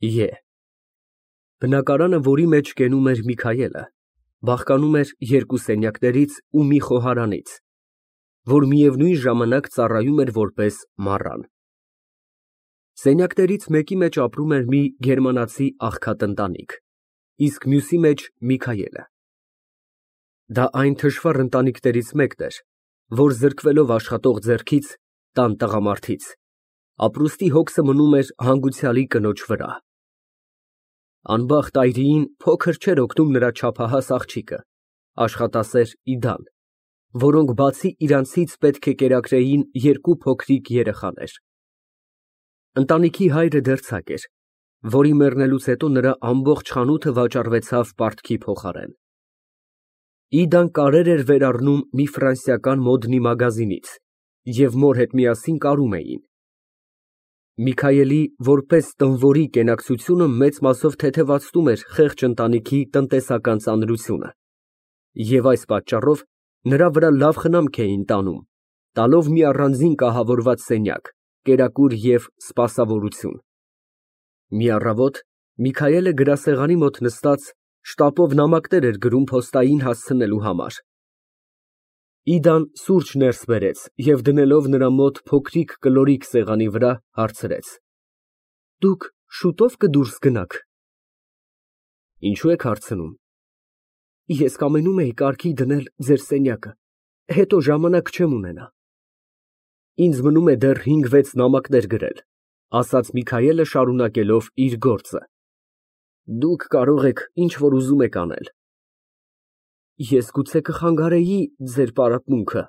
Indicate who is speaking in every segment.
Speaker 1: Է։ Բնակարանը, որի մեջ կենում էր Միքայելը, բաղկանում էր երկու սենյակներից ու մի խոհարանից, որ միևնույն ժամանակ ծառայում էր որպես մառան։ Սենյակներից մեկի մեջ ապրում էր մի գերմանացի աղքատ ընտանիք, իսկ մյուսի մեջ Միքայելը։ Դա այն թշվառ ընտանիքներից մեկն էր, որ զրկվելով աշխատող ձեռքից, տան տղամարդից, ապրուստի հոգսը մնում էր հանգուցյալի կնոջ վրա։ Անբախտ այրիին փոքր չէր օգնում նրա չափահաս աղջիկը, աշխատասեր Իդան, որոնք բացի իրանցից պետք է կերակրեին երկու փոքրիկ երեխաներ։ Ընտանիքի հայրը դերձակ էր, որի մեռնելուց հետո նրա ամբողջ խանութը վաճառվեցավ պարտքի փոխարեն։ Իդան կարեր էր վերառնում մի ֆրանսիական մոդնի մագազինից և մոր հետ միասին կարում էին։ Միքայելի որպես տնվորի կենակցությունը մեծ մասով թեթևացնում էր խեղճ ընտանիքի տնտեսական ծանրությունը, և այս պատճառով նրա վրա լավ խնամք էին տանում, տալով մի առանձին կահավորված սենյակ, կերակուր և սպասավորություն։ Մի առավոտ Միքայելը գրասեղանի մոտ նստած շտապով նամակներ էր գրում փոստային հասցնելու համար։ Իդան սուրճ ներս բերեց և դնելով նրա մոտ փոքրիկ կլորիկ սեղանի վրա, հարցրեց. Դուք շուտո՞վ կդուրս գնաք։ Ինչո՞ւ եք հարցնում։ Ես կամենում էի կարգի դնել ձեր սենյակը, հետո ժամանակ չեմ ունենա։ Ինձ մնում է դեռ 5-6 նամակներ գրել, ասաց Միքայելը, շարունակելով իր գործը։ Դուք կարող եք ինչ որ ուզում եք անել։ Ես գուցե կխանգարեի ձեր պարապմունքը։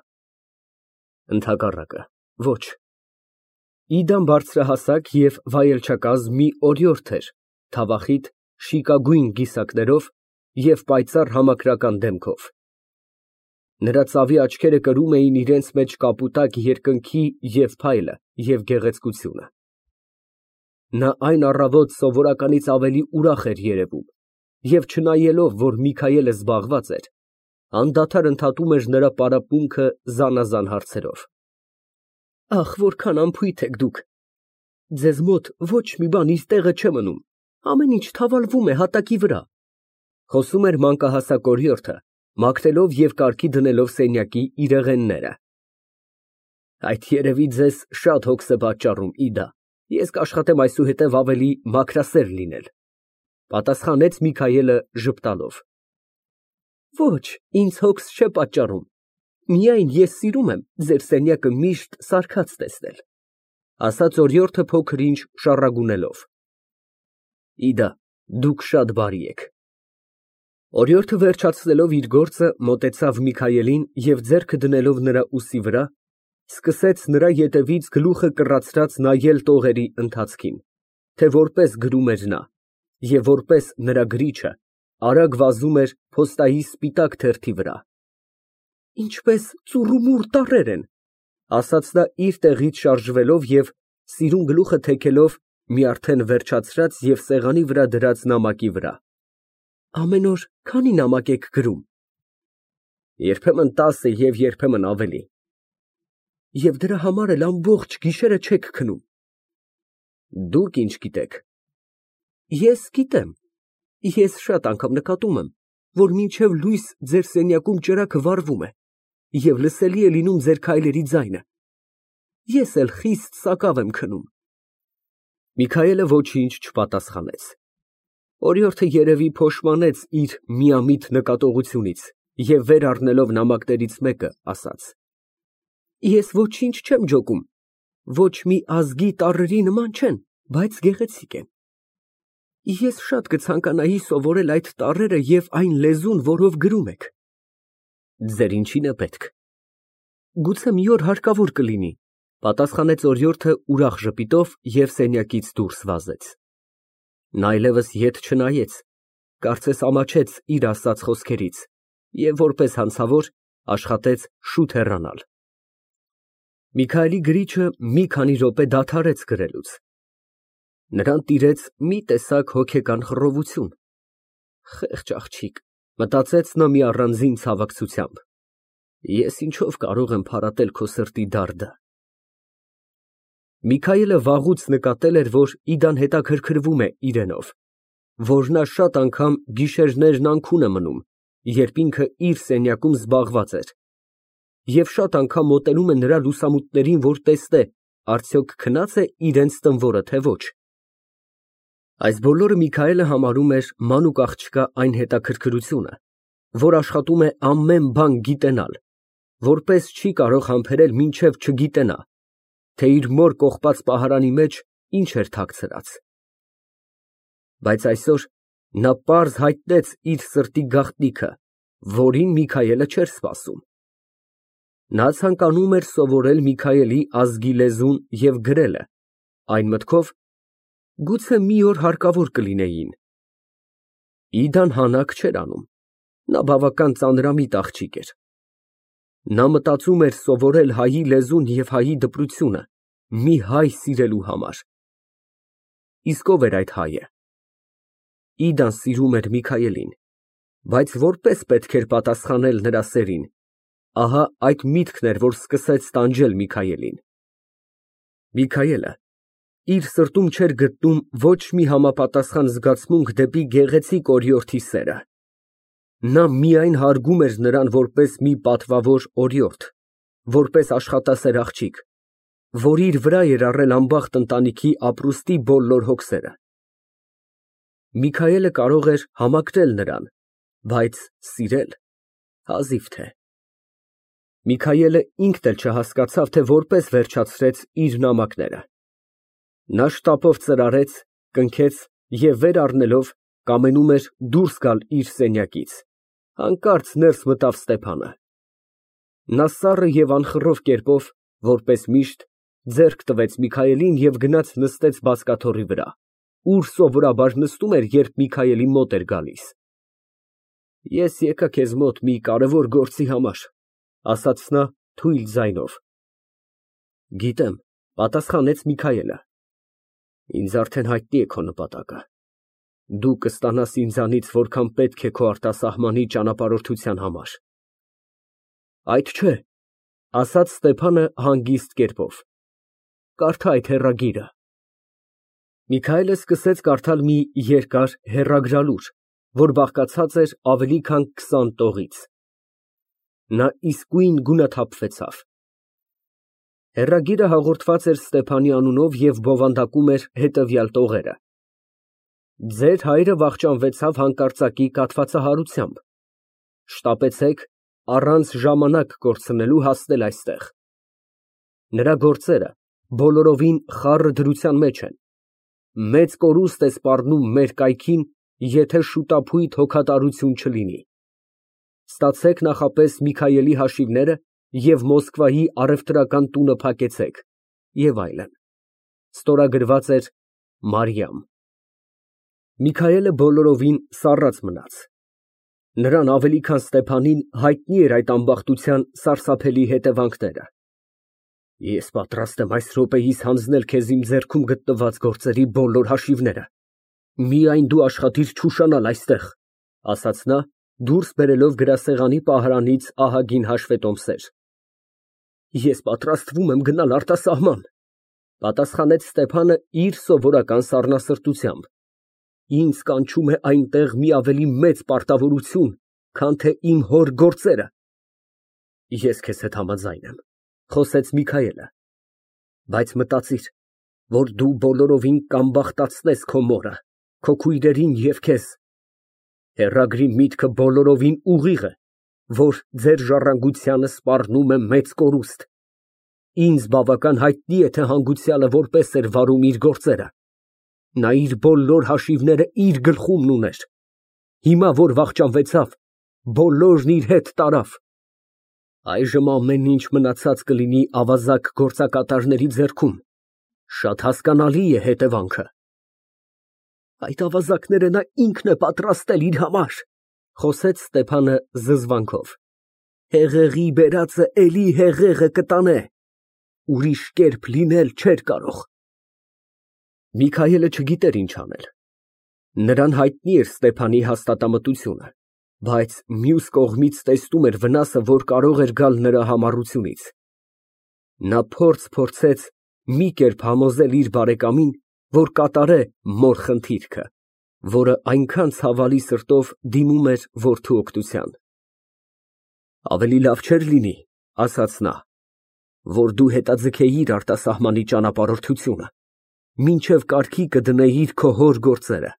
Speaker 1: Ընդհակառակը, ոչ։ Իդան բարձրահասակ և վայելչակազմ մի օրիորդ էր, թավախիտ, շիկագույն կիսակներով և պայծառ համակրական դեմքով։ Նրա ծավի աչքերը կրում էին իրենց մեջ կապուտակ երկնքի և փայլը և գեղեցկությունը։ Նա այն առավոտ սովորականից ավելի ուրախ էր երևում և չնայելով, որ Միքայելը զբաղված էր, անդադար ընդհատում էր նրա պարապմունքը զանազան հարցերով։ Ախ, որքան անփույթ եք դուք։ Ձեզ մոտ ոչ մի բան իր տեղը չէ մնում, ամեն ինչ թավալվում է հատակի վրա, խոսում էր մանկահասակ օրիորդը, մաքրելով և կարգի դնելով սենյակի իրեղենները։ Այդ երևի ձեզ շատ հոգս է պատճառում, Իդա, ես կաշխատեմ այսուհետև ավելի մաքրասեր լինել, պատասխանեց Միքայելը ժպտալով։ Ոչ, ինձ հոգս չէ պատճառում, միայն ես սիրում եմ ձեր սենյակը միշտ սարքած տեսնել, ասաց օրիորդը փոքր ինչ շառագունելով։ Իդա, դուք շատ բարի եք։ Օրիորդը վերջացնելով իր գործը, մոտեցավ Միքայելին և ձեռքը դնելով նրա ուսի վրա, սկսեց նրա ետևից գլուխը կռացրած նայել տողերի ընթացքին, թե որպես գրում էր նա, և որպես նրա գրիչը արագ վազում էր փոստայի սպիտակ թերթի վրա։ Ինչպես ծուռումուռ տառեր են, ասաց նա իր տեղից շարժվելով և սիրուն գլուխը թեքելով մի արդեն վերջացրած և սեղանի վրա դրած նամակի վրա։ Ամեն օր քանի՞ նամակ եք գրում։ Երբեմն 10 և երբեմն ավելի։ Եվ դրա համար էլ ամբողջ գիշերը չեք քնում։ Դուք ինչ գիտեք։ Ես գիտեմ։ Ես շատ անգամ նկատում եմ, որ մինչև լույս ձեր սենյակում ճրագը վառվում է և լսելի է լինում ձեր քայլերի ձայնը։ Ես էլ խիստ սակավ եմ քնում։ Միքայելը ոչինչ չպատասխանեց։ Օրիորդը երևի փոշմանեց իր միամիտ նկատողությունից և վեր առնելով նամակներից մեկը, ասաց. Ես ոչինչ չեմ ջոկում, ոչ մի ազգի տառերի նման չեն, բայց գեղեցիկ են։ Ես շատ կցանկանայի սովորել այդ տառերը և այն լեզուն, որով գրում եք։ Ձեր ինչին է պետք։ Գուցե մի օր հարկավոր կլինի, պատասխանեց օրիորդը ուրախ ժպիտով և սենյակից դուրս վազեց։ Նա այլևս ետ չնայեց, կարծես ամաչեց իր ասած խոսքերից և որպես հանցավոր աշխատեց շուտ հեռանալ։ Միքայելի գրիչը մի քանի րոպե դադարեց գրելուց։ Նրան տիրեց մի տեսակ հոգեկան խռովություն։ Խեղճ աղջիկ, մտածեց նա մի առանձին ցավակցությամբ, ես ինչով կարող եմ փարատել քո սրտի դարդը։ Միքայելը վաղուց նկատել էր, որ Իդան հետաքրքրվում է իրենով, որ նա շատ անգամ գիշերներն անքուն է մնում, երբ ինքը իր սենյակում զբաղված էր, և շատ անգամ մոտենում է նրա լուսամուտներին, որ տեսնե, արդյոք քնա՞ծ է իրենց տնվորը, թե ոչ։ Այս բոլորը Միքայելը համարում էր մանուկ աղջկա այն հետաքրքրությունը, որ աշխատում է ամեն բան գիտենալ, որպես չի կարող համբերել մինչև չգիտենա, թե իր մոր կողպած պահարանի մեջ ինչ էր թաքցրած։ Բայց այսօր նա պարզ հայտնեց իր սրտի գաղտնիքը, որին Միքայելը չէր սպասում։ Նա ցանկանում էր սովորել Միքայելի ազգի լեզուն և գրելը, այն մտքով, գուցե մի օր հարկավոր կլինեին։ Իդան հանաք չէր անում, նա բավական ծանրամիտ աղջիկ էր։ Նա մտածում էր սովորել հայի լեզուն և հայի դպրությունը մի հայ սիրելու համար։ Իսկ ո՞վ էր այդ հայը։ Իդան սիրում էր Միքայելին, բայց որպես պետք էր պատասխանել նրա սերին, ահա այդ միտքն էր, որ սկսեց տանջել Միքայելին։ Միքայելը իր սրտում չէր գտնում ոչ մի համապատասխան զգացմունք դեպի գեղեցիկ օրիորդի սերը։ Նա միայն հարգում էր նրան որպես մի պատվավոր օրիորդ, որպես աշխատասեր աղջիկ, որ իր վրա էր առել անբախտ ընտանիքի ապրուստի բոլոր հոգսերը։ Միքայելը կարող էր համակրել նրան, բայց սիրել հազիվ թե։ Միքայելը ինքն էլ չհասկացավ, թե որպես վերջացրեց իր նամակները։ Նա շտապով ծրարեց, կնքեց և վեր առնելով կամենում էր դուրս գալ իր սենյակից, հանկարծ ներս մտավ Ստեփանը։ Նա սառը և անխռով կերպով, որպես միշտ, ձեռք տվեց Միքայելին և գնաց նստեց բազկաթոռի վրա, ուր սովորաբար նստում էր, երբ Միքայելի մոտ էր գալիս։ Ես եկա քեզ մոտ մի կարևոր գործի համար, ֊ ասաց նա թույլ ձայնով։ Գիտեմ, ֊ պատասխանեց Միքայելը։ Ինձ արդեն հայտնի է քո նպատակը։ Դու կստանաս ինձանից, որքան պետք է քո արտասահմանի ճանապարհորդության համար։ Այդ չէ, ֊ ասաց Ստեփանը հանգիստ կերպով։ Կարդա այդ հեռագիրը։ Միքայելը սկսեց կարդալ մի երկար հեռագրալուր, որ բաղկացած էր ավելի քան 20 տողից։ Նա իսկույն գունաթափվեցավ։ Հեռագիրը հաղորդված էր Ստեփանի անունով և բովանդակում էր հետևյալ տողերը. Ձեր հայրը վախճանվեցավ հանկարծակի կաթվածահարությամբ։ Շտապեցեք առանց ժամանակ կորցնելու հասնել այստեղ։ Նրա գործերը բոլորովին խառը դրության մեջ են։ Մեծ կորուստ է սպառնում մեր կայքին, եթե շուտափույթ հոգատարություն չլինի։ Ստացեք նախապես Միքայելի հաշիվները և Մոսկվայի առևտրական տունը փակեցեք և այլն։ Ստորագրված էր Մարիամ։ Միքայելը բոլորովին սառած մնաց։ Նրան ավելի քան Ստեփանին հայտնի էր այդ ամբախտության սարսափելի հետևանքները։ Ես պատրաստ եմ այս րոպեիս հանձնել քեզ իմ ձեռքում գտնված գործերի բոլոր հաշիվները, միայն դու աշխատիր չուշանալ այստեղ, ֊ ասաց նա, դուրս բերելով գրասեղանի պահարանից ահագին հաշվետոմսեր։ Ես պատրաստվում եմ գնալ արտասահման, ֊ պատասխանեց Ստեփանը իր սովորական սառնասրտությամբ։ Ինձ կանչում է այնտեղ մի ավելի մեծ պարտավորություն, քան թե իմ հոր գործերը։ Ես քեզ հետ համաձայն եմ, ֊ խոսեց Միքայելը, բայց մտածիր, որ դու բոլորովին կամբախտացնես քո մորը, քո քույրերին և քեզ։ Հեռագրի միտքը բոլորովին ուղիղ է, որ ձեր ժառանգությանը սպառնում է մեծ կորուստ։ Ինձ բավական հայտնի է, թե հանգուցյալը որպես էր վարում իր գործերը։ Նա իր բոլոր հաշիվները իր գլխումն ուներ։ Հիմա, որ վախճանվեցավ, բոլորն իր հետ տարավ։ Այժմ ամեն ինչ մնացած կլինի ավազակ գործակատարների ձեռքում։ Շատ հասկանալի է հետևանքը։ Այդ ավազակները նա ինքն է պատրաստել իր համար, ֊ խոսեց Ստեփանը զզվանքով։ Հեղեղի բերածը էլի հեղեղը կտանե։ Ուրիշ կերպ լինել չէր կարող։ Միքայելը չգիտեր ինչ անել։ Նրան հայտնի էր Ստեփանի հաստատամտությունը, բայց մյուս կողմից տեսնում էր վնասը, որ կարող էր գալ նրա համառությունից։ Նա փորձեց մի կերպ համոզել իր բարեկամին, որ կատարե մոր խնդիրքը, որը այնքան ցավալի սրտով դիմում էր որդու օգնության։ Ավելի լավ չէր լինի, ասաց նա, որ դու հետաձգեիր արտասահմանի ճանապարհորդությունը, մինչև կարգի կդնեիր քո հոր գործերը։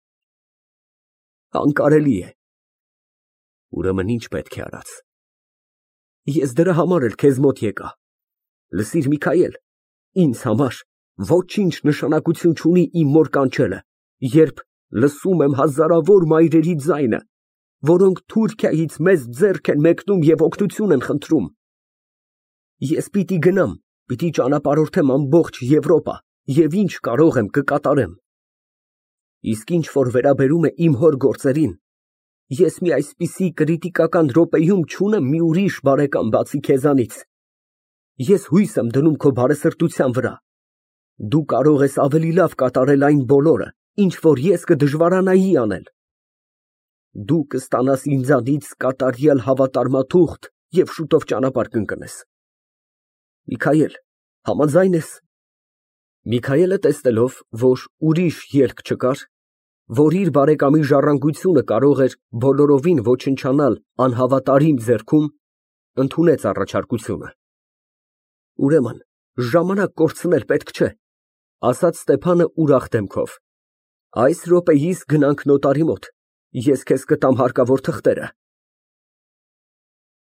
Speaker 1: Անկարելի է։ Ուրեմն ինչ պետք է արած։ Ես դրա համար էլ քեզ մոտ եկա։ Լսիր, Միքայել, ինձ համար ոչինչ նշանակություն չունի իմ մոր կանչելը, երբ լսում եմ հազարավոր մայրերի ձայնը, որոնք Թուրքիայից մեզ ձեռք են մեկնում և օգնություն են խնդրում։ Ես պիտի գնամ, պիտի ճանապարհորդեմ ամբողջ Եվրոպա և ինչ կարող եմ կկատարեմ։ Իսկ ինչ որ վերաբերում է իմ հոր գործերին, ես մի այսպիսի կրիտիկական րոպեում չունեմ մի ուրիշ բարեկամ բացի քեզանից։ Ես հույս եմ դնում քո բարեսրտության վրա։ Դու կարող ես ավելի լավ կատարել այն բոլորը, ինչ որ ես կդժվարանայի անել։ Դու կստանաս ինձանից կատարյալ հավատարմաթուղթ և շուտով ճանապարհ կընկնես։ Միքայել, համաձայն ես։ Միքայելը տեսնելով, որ ուրիշ ելք չկար, որ իր բարեկամի ժառանգությունը կարող էր բոլորովին ոչնչանալ անհավատարիմ ձեռքում, ընդունեց առաջարկությունը։ Ուրեմն, ժամանակ կորցնել պետք չէ, ասաց Ստեփանը ուրախ դեմքով։ Այս րոպեիս գնանք նոտարի մոտ, ես քեզ կտամ հարկավոր թղթերը։